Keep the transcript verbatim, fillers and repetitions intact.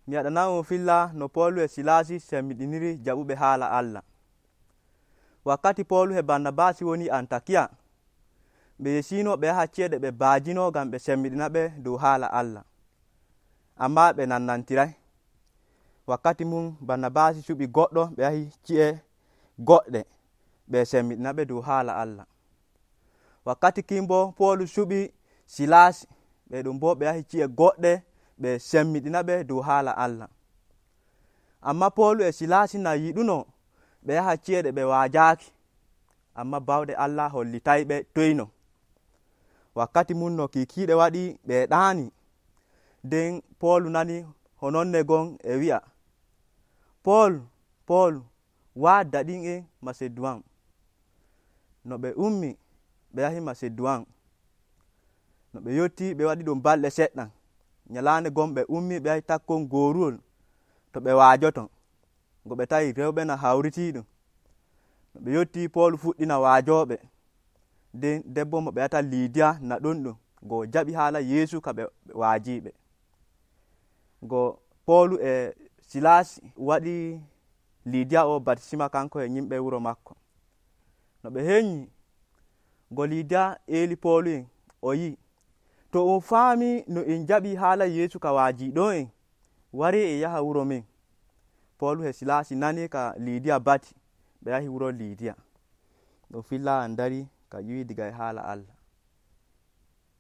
mi waɗana'on filla no Poolu e Silasi semmiɗiniri jaɓuɓe haala Allah. Wakkati Poolu e Barnabasi woni Antakiya, ɓe yesino ɓe yaha ci'e ɗe ɓe baajino ngam ɓe semmiɗina ɓe dow haala Allah, amma ɓe nannantiray. Wakkati mum Barnabasi suɓi goɗɗo ɓe yahi ci'e goɗɗe ɓe semmiɗina ɓe dow haala Allah. Wakkati kin bo Poolu suɓi Silasi, ɓe ɗum bo ɓe yahi ci'e goɗɗe ɓe semmiɗina ɓe dow haala Allah. Amma Poolu e Silasi na yiɗuno ɓe yaha ci'e ɗe ɓe waajaaki, amma bawɗe Allah hollitayɓe toyno. Wakkati mum no kiikiiɗe waɗi ɓe ɗaani, nden Poolu nani hononne gon e wi'a, Pool, Pool, waadda ɗin en Maseduwan. No ɓe ummi ɓe yahi Maseduwan. No ɓe yotti ɓe waɗi ɗum balɗe seɗɗan. Nyalaande gon ɓe ummi ɓe yahi takkon gooruwol to ɓe waajoton, ngo ɓe tawi rewɓe na hawritiiɗum. No ɓe yotti Poolu fuɗɗina waajooɓe, nden debbo mo ɓe wiyata Liidiya na ɗon ɗum, ngo jaɓi haala Yeesu ka ɓe waajiiɓe. Ngo Poolu e Silasi waɗi Liidiya o batisima kanko e yimɓe wuro makko. No ɓe heƴƴi, ngo Liidiya eeli Poolu en o yi, to on faami no en jaɓi haala Yeesu ka waajiiɗo en, wari en yaha wuro men. Poolu e Silasi nani ka Liidiya bati, ɓe yahi wuro Liidiya. Ɗo filla en dari ka ƴiwi diga e haala Allah.